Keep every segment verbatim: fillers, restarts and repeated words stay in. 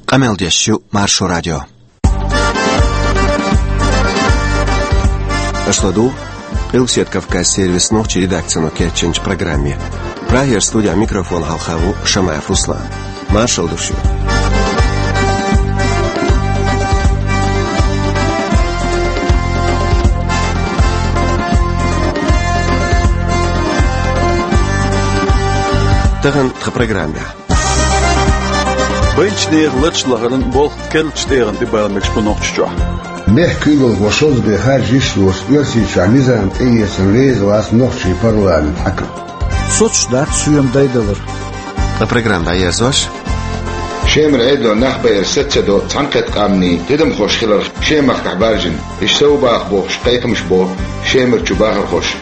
Къамел деш ю Маршо радио. Аша ладугӀу Къилбаседа Кавказ сервисан нохчийн редакцино кечйинчу программе. Прагера студехь микрофон хьалха ву Шамаев Руслан. Маршалла ду шуьга. Тахана тхан программехь. Байначу нехан ларчу лахаран болх керлачу тӀегӀан тӀе бала мегаш бу Нохчийчохь. Мехкан куьйгалхо шозза бен харжа йиш йоцуш Оьрсийчохь низам тӀеэцарна реза вац нохчийн парламентан хьаькам. Соцуш дац соьман дайдалар. Ткъа программа дӀаерзош. Шемара Ӏедалан нах байар саца до цхьаьнакхетта къаьмнийн тидамхош хиларх Шемахкахь баржийна. Иштта сов баха бохуш, кхайкхамаш бо Шемарчу бахархоша.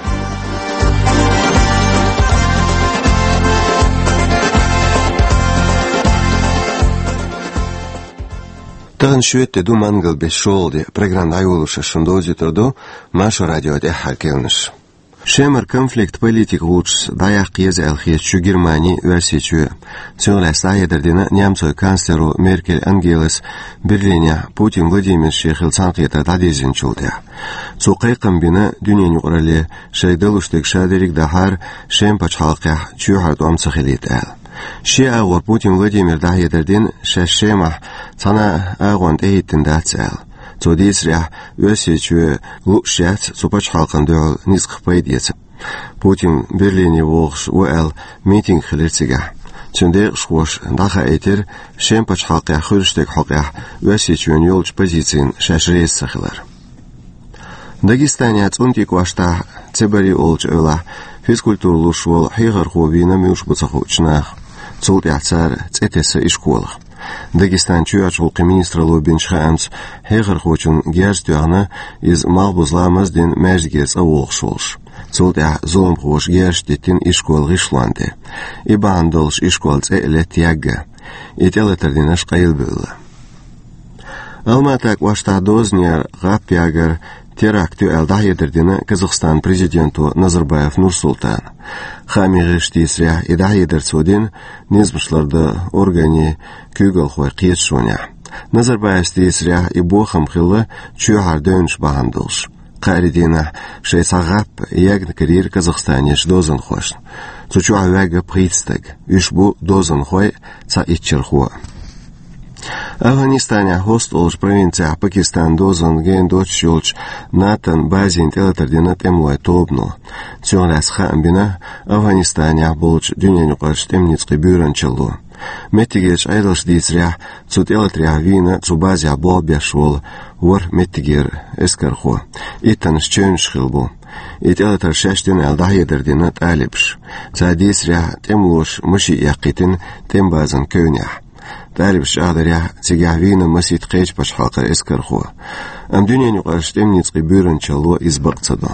Тахана шоьтан де ду, мангал бес шолгӀа де. Программа дӀайолош шуна довзуьйтур ду Маршо радион тӀаьххьара керланаш. Шемара конфликт политика волчуьнца дӀаяккха еза аьлла хеташ ю Германи а, Оьрсийчоь а. Цунах лаьцна дӀахьедар дина немцойн канцлеро Меркель Ангелас Берлинехь Путин Владимира шен хилла цхьаьнакхетар дӀадирзинчул тӀаьхьа. Цо кхайкхам бина дуьненан юкъаралле, шайга далуш дерг ша дерриг а дахьара, Шеман пачхьалкхехь чоьхьара тӀом ца хилийта аьлла. Шен агӀор Путин Владимира дӀахьедар дина, шаьш Шемахь цхьана а агӀонна тӀехӀиттина дац аьлла. Цо дийцарехь, Оьрсийчоь лууш яц цу пачхьалкхана дуьхьал ницкъах пайда эца. Путин Берлине вогӀуш ву аьлла митинг хилира цигахь. Цуьнан декъашхоша дӀахаийтира Шеман пачхьалкхехь хуьлуш дерг хьокъехь Оьрсийчоьнан йолчу позицина шаьш реза ца хилар. Дагестанехь ЦӀунтӀи кӀоштахь Цебари олучу эвлахь физкультура луш волу хьехархо вийна муьлш бу ца хуучу наха. Цул тӀаьхьа цара цӀе тесна ишколах. Дагестанан чоьхьарчу гӀуллакхийн министралло бинчу хаамца, хьехархочунна герз тоьхна, иза малхбуза ламаз а дина, маьждигера цӀа вогӀуш волуш. Цул тӀаьхьа зуламхоша герзаш диттина ишколан гӀишлонна тӀе. И бахьана долуш ишкол цӀе а летта ягга. И тӀелатар динарш къайлабевлла. Алмата кӀоштахь дозанера гӀап ягар теракт ю аьлла дӀахьедар дина Казахстанан президенто Назарбаев Нурсултана. Хаамийн гӀирсаша дийцарехь, и дӀахьедар цо дина низамаш лардан органийн куьйгалхойн кхеташонехь. Назарбаевс дийцарехь, и бохам хилла чоьхьара девнаш бахьана долуш. Кхаарин дийнахь шайн цхьа гӀап ягна карийра Казахстанерчу дозанхошна. Цу чохь ваьгна пхийтта стаг. Уьш бу дозанхой а, цхьа иччархо а. Афганистанехь Хост олучу провинцехь Пакистанан дозанна гена доцуш йолчу НАТОн базина тӀелатар дина тӀемалойн тобано. Цунах лаьцна хаам бина Афганистанехь болчу дуьненан юкъарчу тӀеман ницкъийн буьйранчалло. Меттигерчу Ӏедалша дийцарехь, цу тӀелатарехь вийна цу базехь болх беш волу ворхӀ меттигера эскархо. Иттаннаш чевнаш хилла бу. И тӀелатар шаьш дина аьлла дӀахьедар дина талибаша. Цара дийцарехь, тӀемалоша машен эккхийтина тӀеман базан кевнехь. Талибаша чӀагӀдарехь, цигахь вийна масийтта кхечу пачхьалкхан эскархо. Амма дуьненан юкъарчу тӀеман ницкъийн буьйранчалло иза бакъ ца до.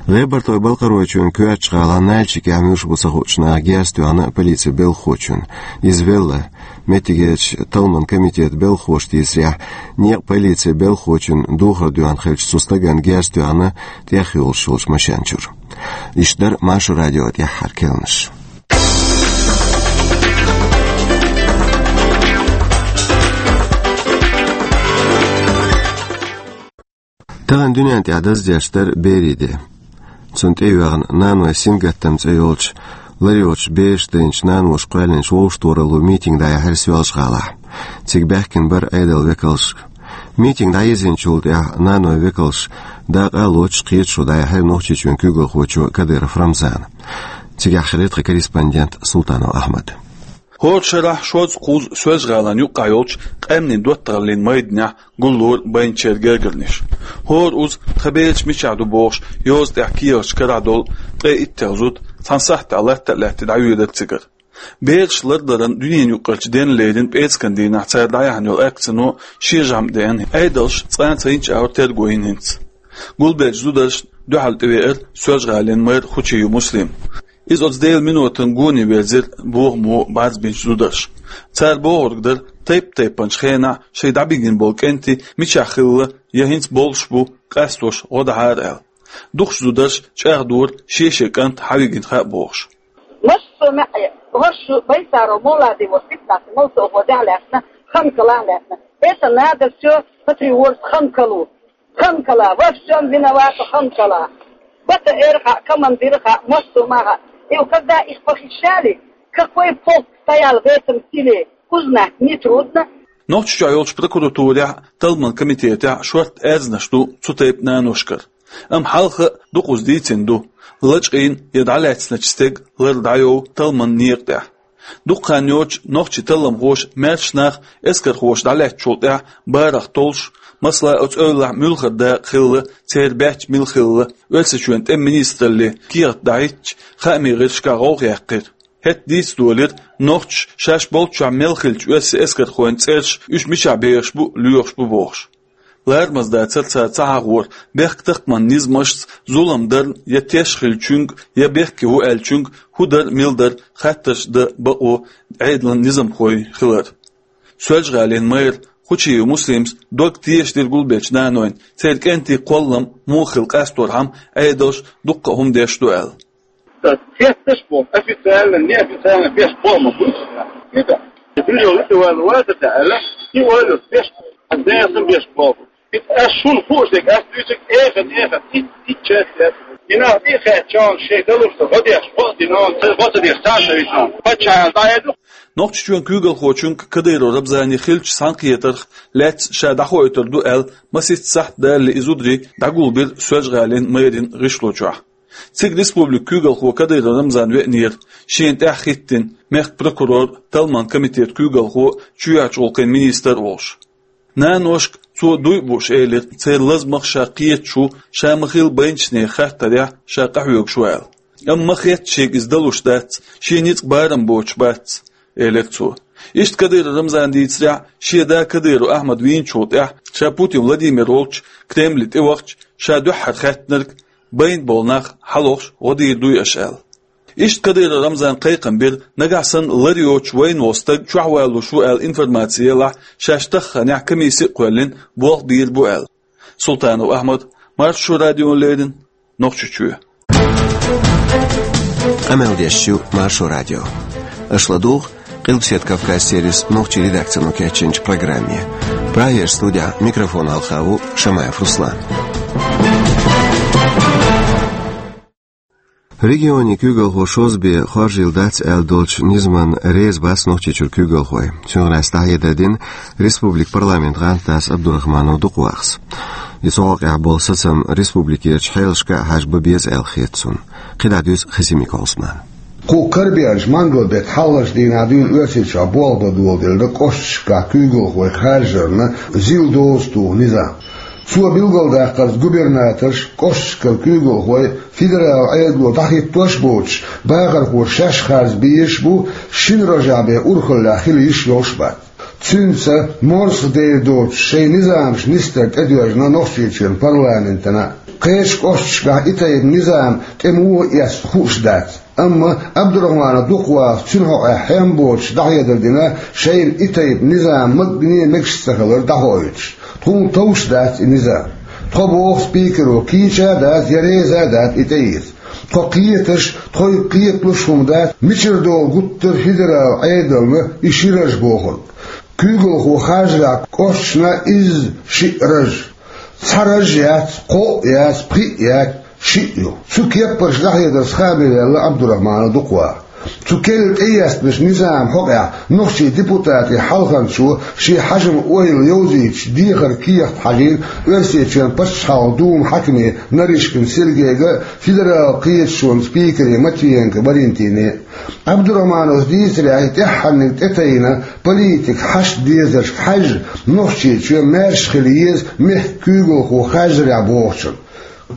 ГӀебартойн-Балкхаройчоьнан коьртачу гӀалахь Нальчикехь муьлш бу ца хуучу наха герз тоьхна полицин белхахочунна. Иза велла. Меттигерчу талламан комитетан белхахоша дийцарехь, некъан полицин белхахочунна духар доьхна хилча, цу стагана герз тоьхна тӀехйолуш йолчу машен чуьра. Иштта дара Маршо радион тӀаьххьара керланаш. Тахана дуьнен тӀехь даздеш дара берийн де. Цунна тӀейоьгӀна «Наной сингаттам» цӀе йолчу, лар йоцуш бераш дайначу наноша кхоьллинчу вовшахтохараллин митинг дӀаяьхьира Соьлжа-ГӀалахь. Цига баьхкина бара Ӏедалан векалш. Митинг дӀаерзинчул тӀаьхьа наной векалш дакъа а лоцуш кхеташо дӀаяьхьира Нохчийчоьнан куьйгалхочо Кадыров Рамзана. Цигахь хилира тхан корреспондент Султанов Ахьмад. ХӀора шарахь шозза кхузза Соьлжа-ГӀалин юккъехь йолчу къаьмнийн доттагӀаллин майданехь гуллора байначеран гергарниш. ХӀора уза тхан бераш мичахь ду бохуш, йоза тӀехь кехаташ карахь долу ткъе иттех зуда цхьана сахьтехь латта а лаьтта дӀавоьдура цигара. Бераш лардаларан дуьненан юккъерчу денна леррина пӀецкан дийнахь цара дӀаяьхьна йолу акцино шен жамӀ деана, Ӏедалша цкъа а ца йинчу агӀор терго йина хӀинца. Гулбеллачу зударшна дуьхьал тӀевеара Соьлжа-ГӀалин мэр Хучиев Муслим. Иза оцу Делан минотана гоне верзира бохамо бӀарзбинчу зударша. Цара бохург дара, тайп-тайпанчу хенахь шайн дӀабигина болу кӀентий мичахь хилла, я хӀинца болуш бу, къастош гӀо дахьара аьлла. Дукхачу зударша чӀагӀдора шен-шен кӀант хьан вигина хаьа бохуш. Массо маьӀе, хӀорш шу байсаро мулади во сипнас мал со гӀо дехьа лаьцна, Хамкала лаьтта. Это надо все патриот Хамкалу. Хамкала, во всем виновата Хамкала. Бата эрха, командирха, мостумаха. И когда их похищали, какой полк стоял в этом селе, узнать нетрудно. Нохчийчохь йолчу прокуратурехь, талламан комитетехь шортта аьрзнаш ду цу тайпа наношкара. Амма хьалха а дукхаза дийцина ду, лачкъийна я дӀалаьцначу стеган лар дӀайов талламан некъа тӀехь. Дукха хан йоцуш нохчийн талламхоша маьрша нах эскархоша дӀалаьцначул тӀаьхьа барах толлуш, масала, оцу эвлахь муьлхха дакъа хилла, церан баьчча мила хилла, Оьрсийчоьнан тӀеман министралле кехат дахьийтича, хаамийн гӀирсашкахь гӀовгӀа яьккхира. ХӀетахь дийца долийра, нохчаша шаьш болччохь мел хиллачу оьрсийн эскархойн цӀераш, уьш мичахь бехаш бу, лоьхуш бу бохуш. Ларамаза дацара цара ца хьахор бехктакхаман низамашца зулам дарна я теш хиллачуьнга, я бехке ву аьллачуьнга хӀун дара, мила дара хаттарш дан бакъо Ӏедалан низамхой хилар. Соьлжа-ГӀалин мэр Хучиев Муслима дог тешадира гулбеллачу нанойн, церан кӀентийн кхоллам муха хила къасторхьама Ӏедалша дуккха а хӀума деш ду аьлла. Хетташ боху, официально, неофициально беш боху ма бу. Ида. Билла вала вата аьлла, и ойла беш, а дайсан беш боху. Ида аш шуна хууш дерг, аш дуьйцург эха, эха, ит, ит чет лет. Ина и хет чон шей далурса, гӀо деш, гӀо дина, он ца, гӀо ца деш, ца шависан. Паччахьал дӀаэду. Нохчийчоьнан куьйгалхочуьнга Кадыров Рамзане хиллачу цхьаьнакхетарх лаьцна ша дӀахоуьйтур ду аьлла, масех сахьт далале и зударий дӀагулбира Соьлжа-ГӀалин мэрин гӀишло чохь. Цига республикан куьйгалхо Кадыров Рамзан веанера, шена тӀаьхьахӀиттина, мехкан прокурор, талламан комитетан куьйгалхо, чоьхьарчу гӀуллакхийн министр а волуш. Наношка цо дуй а бууш элира, церан лазамах ша кхеташ ву, ша ма-хилла байначу нехан хаттарехь ша къахьоьгуш ву аьлла. Амма ма-хетта шега иза далуш дац, шен ницкъ барам боцуш бац, элира цо. Иштта Кадыров Рамзана дийцарехь, шен да Кадыров Ахьмад вийначул тӀаьхьа, ша Путин Владимир волчу Кремле тӀевахча, ша дуьххьара хаьттинарг, байна болу нах хьалохуш гӀо дийр дуй аша аьлла. Иштта Кадыров Рамзана кхайкхам бира, нагахь санна лар йоцуш вайна волу стаг чохь валалуш ву аьлла информаци елахь, шаьш тахханехь комисси а кхоьллина, болх бийр бу аьлла. Султанов Ахьмад, Маршо радиона леррина, Нохчийчоь. Къамел деш ю Маршо радио. Аша ладугӀу Къилбаседа Кавказ сервисан нохчийн редакцино кечйинчу программе. Прагерчу студехь микрофон хьалха ву Шамаев Руслан. Регионийн куьйгалхо шозза бен хоржийла дац аьлла долчу низамна реза бац Нохчийчуьра куьйгалхой. Цуьнан гӀаьнца дӀахьедар дина республикан парламентан гӀантдас Абдурахманов Дукхавахас. И цу хьокъехь болу сацам республикерчу хьелашка а хьажа бан беза аьлла хета цунна. КхидӀа дуьйцу Хасимиков Ӏусмана. Кху карабеанчу мангал-беттан хьалхарчу дийнахь дуьйна Оьрсийчохь болх бан доладелла кӀошташкахь куьйгалхой харжарна зил доза туху низам. Цо билгалдаккхарца, губернаторш, кӀошташкара куьйгалхой федералан Ӏедало дӀахӀиттош а боцуш, бахархоша шаьш харжа безаш а бу, шина рожехь бен урхаллехь хила йиш йолуш а бац. Цуьнца морсах дер доцуш шайн низамаш нисдар тӀедоьжна Нохчийчоьнан парламентана. Кхечу кӀошташкахь и тайпа низам тӀе муха эцна хууш дац. Амма Абдурахманов Дукхавахас цуьнан хьокъехь хьем боцуш дӀахьедар дина, шайна и тайпа низам магане а мегаш ца хилар дӀахоуьйтуш. Тхуна товш дац и низам. Тхо, боху спикеро, кийча а дац, я реза а дац и тӀеэца. Тхо кхеташ, тхоьга кхеталуш хӀума дац, мичара долу гуттара федералан Ӏедална и ши раж бохург. Куьйгалхо харжарехь кӀошташна изза шиъ раж. Цхьа раж яц, кхоъ яц, пхиъ яц, шиъ ю. Цу кеппарш дӀахьедарца хаамваьлла Абдурахманов Дукхаваха. Цу керла тӀеэцначу низаман хьокъехь нохчийн депутатийн хьалханчо шен хьажаман ойла йовзуьйтуш дехар кехат хьажийна Оьрсийчоьнан пачхьалкхан думан хьаькаме Нарышкин Сергейга а, федералан кхеташонан спикере Матвиенко Валентине а. Абдурахмановс дийцарехь, и тӀаьххьарниг тӀетайна политикан хьашт-дезаршка хьаьжжа, Нохчийчоь маьрша хила еза мехкан куьйгалхо харжарехь бохучунна.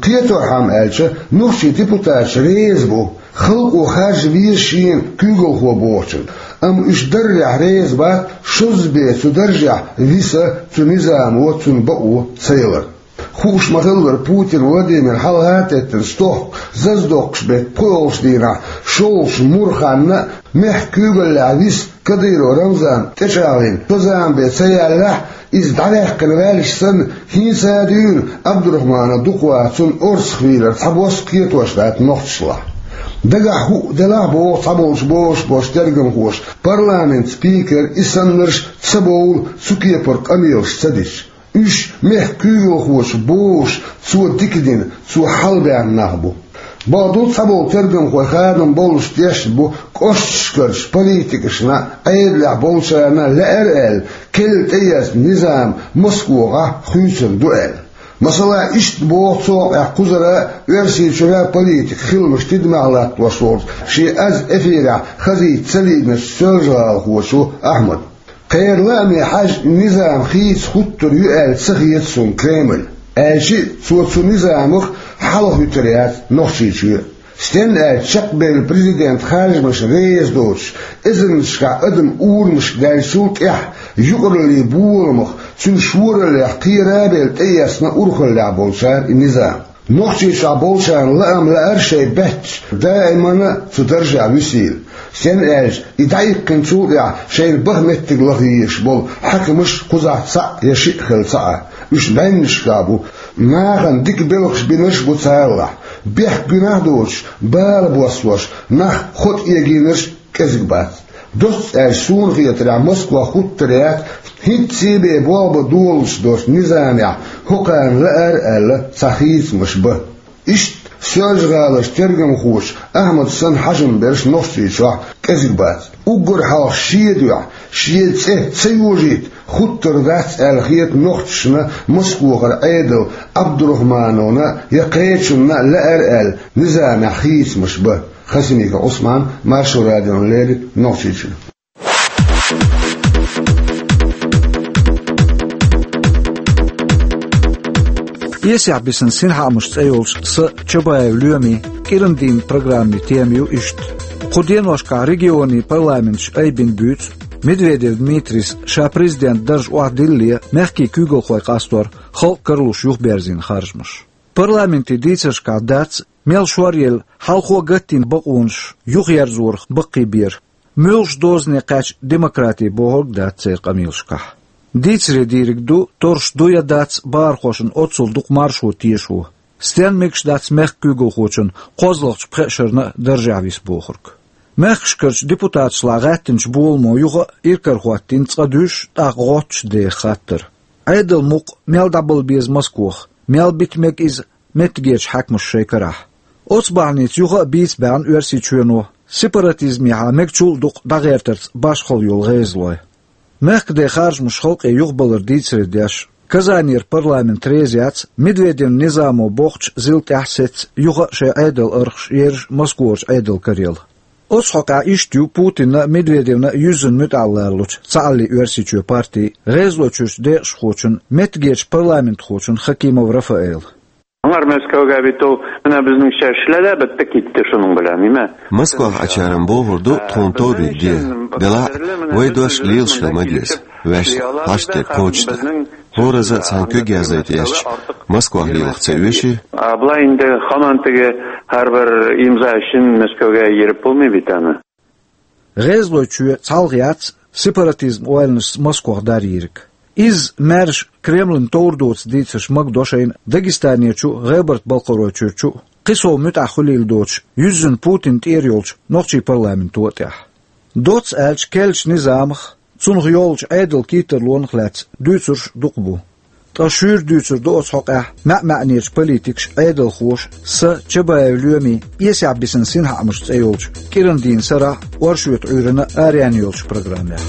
Кхеторхьама аьлча, нохчийн депутаташ реза бу, халкъо харжа веза шена куьйгалхо бохучунна. Амма уьш даррехь реза бац, шозза бен цу даржехь виса цу низамо цунна бакъо ца ялар. Хууш ма-хиллара, Путин Владимир хьалха а теттина стохка, зазадоккхуш беттан пхоьалгӀачу дийнахь шолгӀачу муьрханна а мехкан куьйгаллехь виса Кадыров Рамзан тӀечӀагӀлина, шо зама бен ца яьллехь, иза дӀаваьккхина ваьлча санна, хӀинца а дуьйна Абдурахманов Дукхаваха цунна орцахвийлар цхьабосса кхетош дац нохчашлахь. Дагахь хӀуъа делахь а боху цхьаболчу бозуш болчу тергамхоша, парламентан спикер и саннарш а ца бовлу цу кепара къамелаш ца дича. Уьш мехкан куьйгалхочо бозуш, цо дика дина, цо хьалабаьхна нах бу. Бакъду, цхьаболу тергамхой хадам боллуш тешна бу кӀошташкарчу политикашна, Ӏедалехь болчарна лаьара аьлла, керла тӀеэцна низам Москвахь хуьйцур ду аьлла. Масала, иштта боху цу хьокъехь кхузара а, Оьрсийчуьра а политикан хиламаш тидамехь латтош волчу шен аз эфирехь хазийта ца лиъначу соьлжа-гӀалахочо Ахьмада. Кхеран лааме хьаьжна, низам хийца хӀуттур ю аьлла ца хета суна Кремль, аьлча а, цо цу низамах хьалахӀуьттур яц Нохчийчоь а. Стенна аьлча, чекхбевлла президентан харжамашна реза доцуш, эзарнашкахь адам урамашка даьллачул тӀаьхьа, юкъараллин боламах, цуьнан шораллех кхера а белла, тӀеэцна урхаллехь болчара и низам. Нохчийчохь болчарна лаам лаьара шайн баьтташ даимана цу даржехь висийла. Стенна аьлча, и дӀаихкинчул тӀаьхьа шайна баха меттиг лаха езаш болу хьаькамаш кхузахь цхьаъ я шиъ хилла ца Ӏа. Уьш бӀеннашкахь бу, нахана дика белхаш бинарш а бу царалахь. Бехк-гуьнахь а доцуш, бала боссош, нах хӀоттаегийнарш а кӀезиг бац. Доцца аьлча, суна хетарехь, Москва хӀуттур яц, хӀинцций бен болх бан долуш долчу низамехь хӀокхарна лаьара аьлла цхьа хийцамаш бан. Иштта Соьлжа-ГӀаларчу тергамхочу Ахьмада санна хьажам берш Нохчийчохь кӀезиг бац. Уггар хьалха шен дуьхьа, шен цӀе ца йожийта хӀуттур дац аьлла хета нохчашна Москвахара Ӏедалан Абдурахмановна я кхечунна лаьара аьлла низамехь хийцамаш бан. Хасимиков Ӏусман, Маршо радиона леррина, Нохчийчуьра. «Эсехь бисина синхаамаш» цӀе йолчу сан Чабаев Лоьмин кӀиран дийнан программин тема ю иштта. Кху деношкахь регионийн парламенташ айбина буьйцу Медведев Дмитрийс ша президентан дарж охьадиллале мехкийн куьйгалхой къастор халкъ каралуш юхаберзийна харжамаш. Парламентан дийцаршкахь дац мел шоръелла хьалхо гатдина бакъонаш юхаерзорах баккхийбер. Муьлхачу дозане кхаьчна демократи бохург а дац церан къамелашкахь. Дийцаре дийриг ду, торш ду я дац бахархошна оццул дукха маршо тешо. Стенна мегаш дац мехкан куьйгалхочун кхозлагӀчу пхеа шарна а даржехь виса бохург. Мехкашкарчу депутаташлахь гӀаьттинчу боламо юха а иракарахӀоттийна цкъа дуьйш, тӀаккха гӀотташ деха хаттар. Ӏедалан мукъ мел дӀабала беза Москвахь, мел бита мега иза меттигерчу хьаькамаша шайн карахь. Оцу бахьаница юха а бийца баьхна Оьрсийчоьно сепаратизмехьа мегачул а дукха дӀагӀертарца башхалла йолу гӀезалой. Мехкаде харжамаш халкъе юхабалар дийцаре деш, Казанера парламент реза яц Медведевн низамо боккхачу зил тӀаьхьа сецна юха а шайн Ӏедалан архаш ерзаш Москварчу Ӏедалан карел. Оцу хьокъехь иштта ю Путинна а, Медведевна а юьззина муьтӀахь лаллучу Цхьааллин Оьрсийчоь партин гӀезалойчуьрчу декъашхочун, меттигерчу парламентхочун Хакимов Рафаэла. Аңар Мәскәүгә бит ул менә безнеңчә эшлә дә беттек китте шуның белән, ниме? Москвах Ӏачарна бохур ду тхуна товриг де. Делахь а вай дош лелаш хила ма деза, ваьш хьашт дерг кхочушдан. ХӀораза а цхьаьна куьг яздайта эшча, Москвах лелах ца оьший? А былай инде хаман теге һәрбер имза өчен Мәскәүгә йөреп булмый бит аны. ГӀезалойчоь цхьалха яц сепаратизм ойланашца Москвах дарйийриг. Изза маьрша Кремлан товр доцу дийцарш магадо шайна Дагестанерчу а, ГӀебарта-Балкхаройчуьрчу а, кхин сов муьтӀахь хуьлийла доцуш, юьззина Путинна тӀера йолчу нохчийн парламенто а тӀехь. Доцца аьлча, керлачу низамах, цунах йолчу Ӏедалан кийттарлонах лаьцна дуьйцурш дукха бу. Ткъа шуьйра дуьйцур ду оцу хьокъехь маьӀ-маьӀнерчу политикаша, Ӏедалхоша сан Чабаев Лоьмин «Эсехь бисина синхаамаш» цӀе йолчу кӀиран дийнан сарахь, оршотан Ӏуьйранна араяьнна йолчу программехь.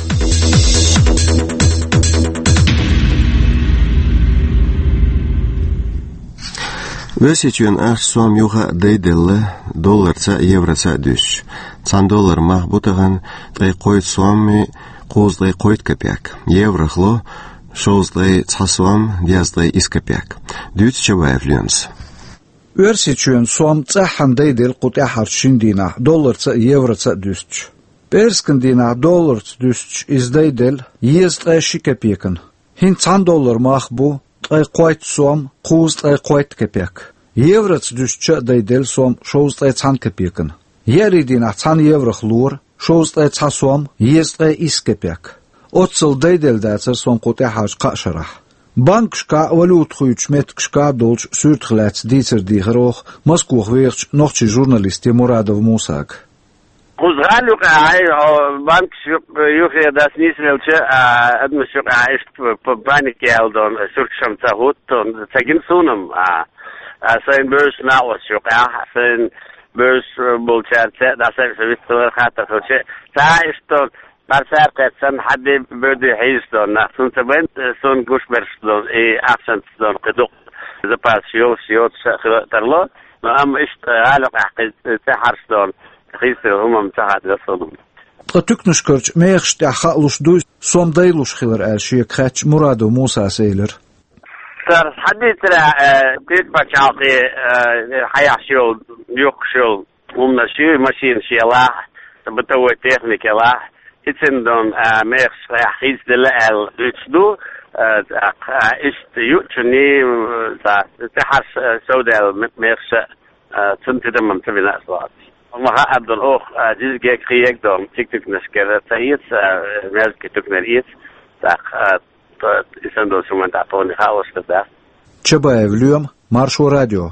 Оьрсийчоьнан ахча сом юха а дайделла, долларца а, евроца а дуьстича. Цхьана долларан мах бу тахана ткъе кхойтта сом, кхузткъе кхойтта копек. Еврох ло шовзткъе цхьа сом, дезткъе исс копек. Дуьйцу Чабаев Лоьмас. Оьрсийчоьнан сом цӀеххьана дайделла кху тӀаьххьарчу шина дийнахь долларца а, евроца а дуьстича. ПӀераскан дийнахь долларца дуьстича иза дайделла езткъе ши копекана. ХӀинца цхьана долларан мах бу ткъе кхойтта сом, кхузткъе кхойтта копек. Евроца дуьстича а дайделла сом шовзткъе цхьана копекана. Еарин дийнахь цхьана еврох лора шовзткъе цхьа сом, езткъе исс копек. Оццул дайделла дацара сом кху тӀаьххьарчу кхаа шарахь. Банкашкахь а, валюта хуьйцучу меттигашкахь а долчу суьртах лаьцна дийцар дийхира оха Москвахь вехачу нохчийн журналисте Мурадов Мусага. Кхузахь а юкъахь, о, банкаш юкъ-, юххе дац нийсвелча, а, адамаш юкъахь иштта п-, п-, паника яьлла дон, суьрташ-м ца хӀутту, ца гина суна-м, а, а, сайн бевзачу накъосташ юкъахь, сайн бевзаш болчаьрца, дӀа сайн ша вист хилар хаттар хилча, цхьа а иштта дон, бӀаьрса кхетта санна, хьадди бевди хьийзаш дон нах. Суна ца байна, суна гуш берш дон, и ахчанца дон, кхин дукха запасаш йолуш йоцуш а хила тарло, но амма иштта гӀала юкъахь кхин цӀе хьарш дон, хийцира хӀума-м ца хадара суна. Ткъа туькнашкарчу мехаш тӀехь хаалуш дуй, сом дайлуш хилар аьлла шега хаьттича, Мурадов Мусас элира: Цара схьадийцарехь, э, кхин пачхьалкхе, э, хьаеш йолу, юхкуш йолу хӀуманаш ю, машинаш елахь, бытовой техника елахь, и цундела, э, мехаш тӀехь хийцаделла аьлла дуьйцуш ду, э, тӀаккха, э, иштта юучунний, э, цхьа, цӀе хьарш, э, совдаьлла ме-, мехаш а, а, цунна тидам-м ца бина аса вац. Ма хаьа дон оха, а, диза гег, кхин ег дон, цигтуькнашкара ца эца, а, мерза кхин туькнара эца, тӀаккха, а, т-, и санна долчу хӀуманна тӀехь тхуна хаалуш хир дац. Чабаев Лоьма, Маршо радио.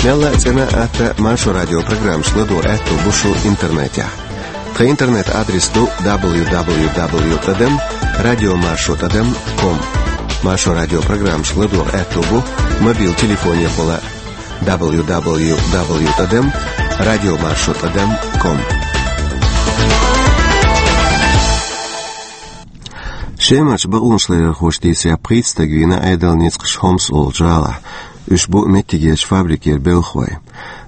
Мелла а цӀена а, атта а Маршо радио программаш ладогӀа аьтто бу шун интернетехь. Тхан интернет-адрес ду дабл ю дабл ю дабл ю тӀадам радио маршо тӀадам ком. Маршо радио программашка ладогӀа аьтто бу мобил телефонехула дабл ю дабл ю дабл ю тӀадам радио маршо тӀадам ком. Шемарчу бакъонашларъярхоша дийцарехь, пхийтта стаг вийна Ӏедалан ницкъаша Хомс олучу гӀалахь. Уьш бу меттигерчу фабрикера белхалой.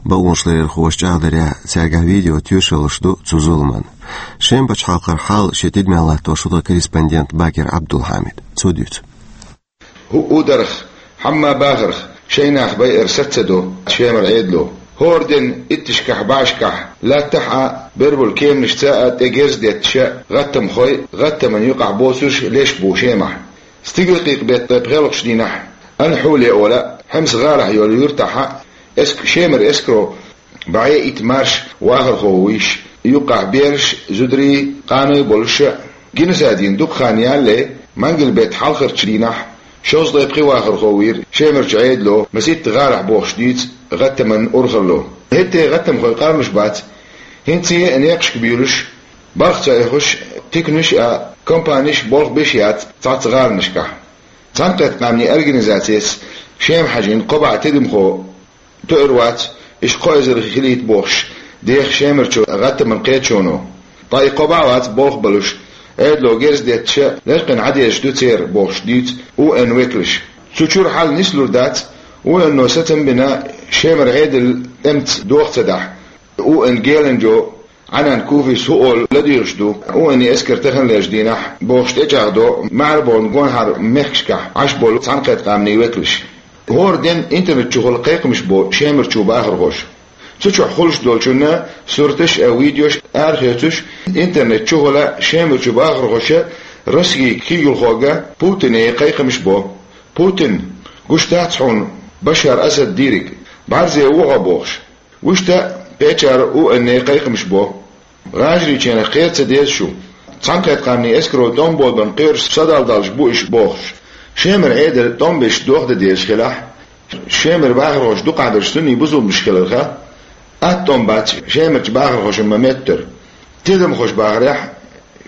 Бакъонашларъярхоша чӀагӀдарехь, цаьргахь видео тоьшаллаш ду цу зуламан. Шеман пачхьалкхара хьал шен тидамехь латтош ву тхан корреспондент Бакир Ӏабдулхьамид. Цо дуьйцу. ХӀуъу дарх, хьамма бахарх шайн нах байар саца ца до Шемара Ӏедало. ХӀора ден итташкахь, бӀешкахь, латтахь а, бербалу кеманашца а тӀе герз детташ гӀаттамхой, гӀаттаман юкъахь боцурш леш бу Шемахь. Стигалкъекъа беттан пхоьалгӀачу дийнахь, Анхьуле ола, Хьемс гӀалахь йолу юьртахь а, эск-, Шемара эскаро бӀе итт марш вахархо вуьйш, юккъахь бераш, зударий, къаной болуш а, геноцидана дукха хан ялале, мангал беттан хьалхарчу дийнахь, шовзткъе пхи вахархо вийра Шемарчу Ӏедало масийтта гӀалахь бохуш дуьйцу гӀаттаман урхалло. ХӀетте гӀаттамхой къарлуш бац, хӀинца а некъашка буьйлуш, балха ца оьхуш, туькнаш а, компанеш а болх беш яц цхьацца гӀаланашкахь. Цхьаьнакхетта Къаьмнийн Организацес Шема хьажийна кхо бӀе тидамхо тоьар вац, уьш кхо эзар хилийта бохуш, деха Шемарчу гӀаттаман кхеташоно. Ткъа и кхо бӀе вац болх балуш, Ӏедало герз детташ лечкъина Ӏан дезаш ду церан бохуш дуьйцу УН векалша. Цу чуьра хьал нислур дац, УН-о сацам бина Шемара Ӏедал тӀемца доха ца дахь, УН геланчо Ӏанан Куфис хӀу олу ладуьйгӀуш ду, УН-и эскар таханлерчу дийнахь бохуш тӀечӀагӀдо маьрбонан гонахара мехкашкахь Ӏаш болу Цхьаьнакхетта Къаьмнийн векалш. ХӀора ден интернет чухула кхайкхамаш бо Шемарчу бахархоша. Цу чохь хуьлуш долчунна сурташ а, видеош а арахецуш, интернет чухула Шемарчу бахархоша Россин куьйгалхога Путине кхайкхамаш бо. Путин, гуш дац хьуна Башар Асад дийриг, бӀарзе ву хьо бохуш. Вуьшта пачхьара УН-е кхайкхамаш бо. ГӀажарийчарах кхера ца деза шу. Цхьаьнакхетта Къаьмнийн эскаро тӀом болабан кхоьруш садалдалш бу уьш бохуш. Шемара Ӏедал тӀом беш дохдан дезаш хилахь, Шемара бахархоша дукхахберш сунний бусулбанаш хиларх, атта тӀом бац Шемарчу бахархошна ма-меттара. Тидамхоша бахарехь,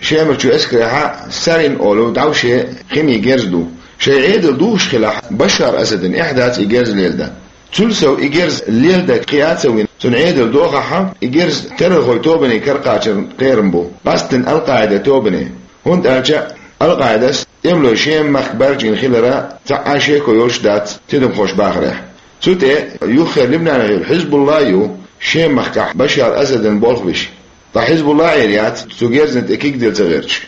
Шемарчу эскарехь сарин олу дӀовше химин герз ду. Шайн Ӏедал духуш хилахь, Башар Асадна эхь дац и герз леладан. Цул сов и герз леладан кхиа а ца вина, цуьнан Ӏедал дохахь, и герз террорхойн тобане каракхачарна кхерам бу, къаьсттина Ал-Къаида тобане. ХӀунда аьлча Ал-Къаидас тӀемалой Шеман махка баржийна хиларан цхьа а шеко йолуш дац тидамхоша бахарехь. Цу тӀе юххера Либнанехь йолу Хьизбулла а ю, Шеман махкахь Башар Асадна болх беш. Ткъа Хьизбулла а Ӏийр яц цу герзана тӀе куьг дилла ца гӀерташ.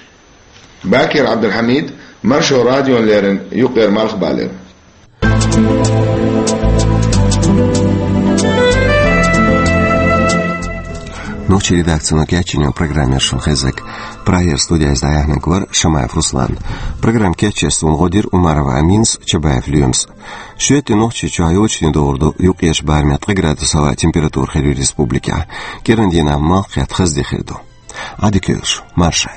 Бакир Ӏабдулхьамид, Маршо радиона леррина, юккъера Малхбалера. Нохчийн редакцино кечйина программа яра шуна хезнарг. Прагера студехь иза дӀаяьхьнарг вара Шамаев Руслан. Программа кечъеш суна гӀо дира Умарова Аминас, Чабаев Лоьмас. Шоьтан Нохчийчохь йолчу дийнахь догӀур ду юккъерчу барамехь ткъа градус хьалха температура хир ю республикехь. КӀиран дийнахь малх кхетта хаза де хир ду. Ӏадика йойла шу, марша.